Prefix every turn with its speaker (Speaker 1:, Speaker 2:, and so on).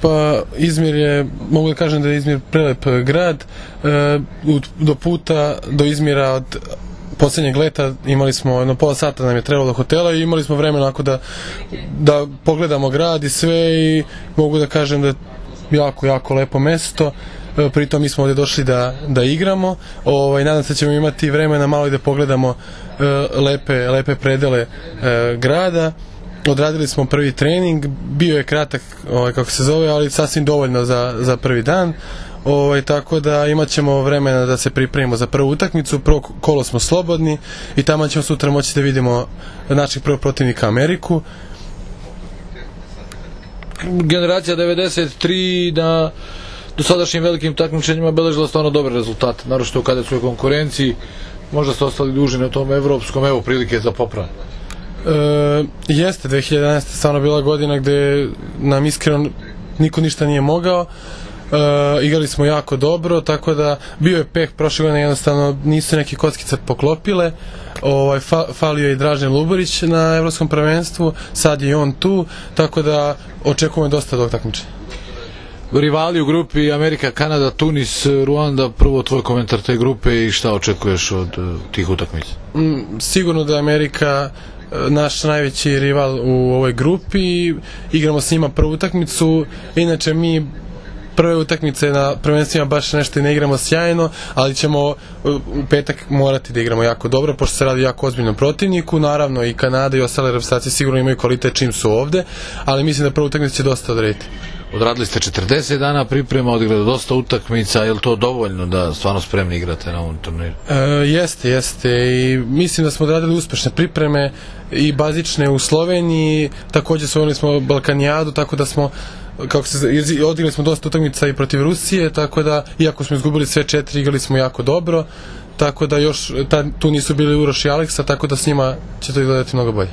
Speaker 1: Pa Izmir je, mogu da kažem da je Izmir prelep grad. Do puta do Izmira od poslednjeg leta imali smo jedno pola sata nam je trebalo do hotela i imali smo vremena onako da pogledamo grad i sve, i mogu da kažem da je jako lepo mesto. Pritom mi smo ovde došli da igramo. Nadam se da ćemo imati vremena malo i da pogledamo lepe predele grada. Odradili smo prvi trening, bio je kratak, kako se zove, ali sasvim dovoljno za prvi dan. Tako da imat ćemo vremena da se pripremimo za prvu utakmicu. Prvo kolo smo slobodni i tamo ćemo sutra moći da vidimo našeg prvog protivnika Ameriku.
Speaker 2: Generacija 93 na dosadašnjim velikim takmičenjima beležila stvarno dobre rezultate, naročito u kadetskoj konkurenciji. Možda ste ostali duži na tom evropskom, evo prilike za popravljanje.
Speaker 1: Jeste, 2011. stvarno bila godina gde nam iskreno niko ništa nije mogao. Igrali smo jako dobro, tako da bio je peh prošle godine, jednostavno nisu neke kockice poklopile. Falio je i Dražen Luborić na evropskom prvenstvu, sad je on tu, tako da očekujemo dosta od ovog takmičenja.
Speaker 2: Rivali u grupi Amerika, Kanada, Tunis, Ruanda, prvo tvoj komentar te grupe i šta očekuješ od tih utakmica?
Speaker 1: Sigurno da je Amerika naš najveći rival u ovoj grupi, igramo s njima prvu utakmicu, inače mi prve utakmice na prvenstvima baš nešto i ne igramo sjajno, ali ćemo u petak morati da igramo jako dobro, pošto se radi jako ozbiljnom protivniku. Naravno i Kanada i ostale reprezentacije sigurno imaju kvalitet čim su ovde, ali mislim da prva utakmica će dosta odrediti.
Speaker 2: Odradili ste 40 dana priprema, odigrali dosta utakmica, je li to dovoljno da stvarno spremni igrate na ovom turniru?
Speaker 1: Jeste i mislim da smo odradili uspešne pripreme i bazične u Sloveniji, takođe osvojili smo Balkanijadu, tako da smo odigrali smo dosta utakmica i protiv Rusije, tako da iako smo izgubili sve 4, igrali smo jako dobro, tako da još tu nisu bili Uroš i Aleksa, tako da s njima će to izgledati mnogo bolje.